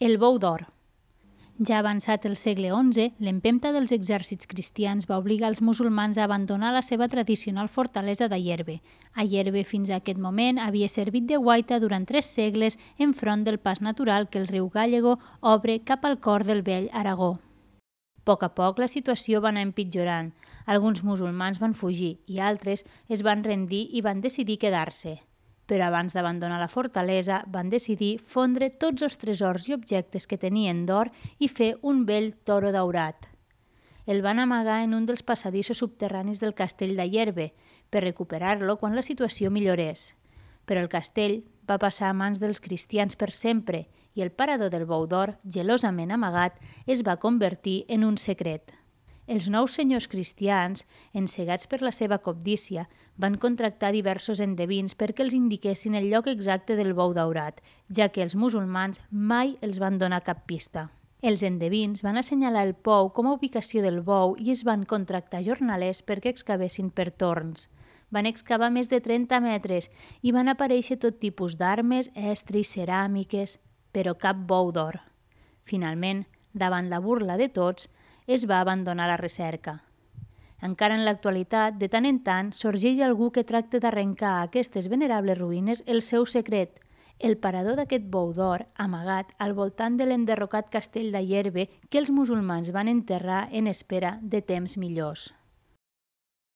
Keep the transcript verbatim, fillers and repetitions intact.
El bou d'or. Ja avançat el segle onze, l'empenta dels exèrcits cristians va obligar els musulmans a abandonar la seva tradicional fortalesa d'Ayerbe. Ayerbe fins a aquest moment havia servit de guaita durant tres segles enfront del pas natural que el riu Gállego obre cap al cor del vell Aragó. A poc a poc la situació va anar empitjorant. Alguns musulmans van fugir i altres es van rendir i van decidir quedar-se. Però abans d'abandonar la fortalesa van decidir fondre tots els tresors i objectes que tenien d'or i fer un vell toro daurat. El van amagar en un dels passadissos subterranis del castell d'Ayerbe per recuperar-lo quan la situació millorés. Però el castell va passar a mans dels cristians per sempre i el parador del bou d'or, gelosament amagat, es va convertir en un secret. Els nous senyors cristians, encegats per la seva cobdícia, van contractar diversos endevins perquè els indiquessin el lloc exacte del bou daurat, ja que els musulmans mai els van donar cap pista. Els endevins van assenyalar el pou com a ubicació del bou i es van contractar jornalers perquè excavessin per torns. Van excavar més de trenta metres i van aparèixer tot tipus d'armes, estris, ceràmiques, però cap bou d'or. Finalment, davant la burla de tots, es va abandonar la recerca. Encara en l'actualitat, de tant en tant, sorgeix algú que tracta d'arrencar a aquestes venerables ruïnes el seu secret, el parador d'aquest bou d'or amagat al voltant de l'enderrocat castell d'Ayerbe que els musulmans van enterrar en espera de temps millors.